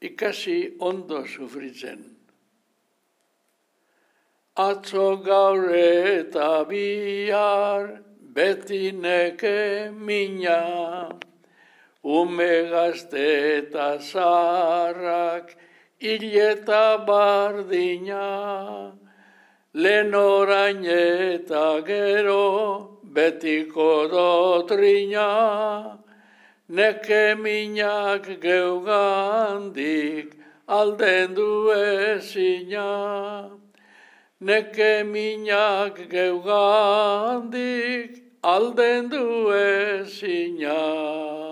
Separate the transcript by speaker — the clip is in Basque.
Speaker 1: ikasi ondo sufritzen. Atzo gaur eta bihar, beti neke mina, ume gazte eta zaharrak, hil eta bardina, lehen orain eta gero, betiko dotrina, neke minak geugandik, alden du ezina. Neke minak geugandik, alden du ezina.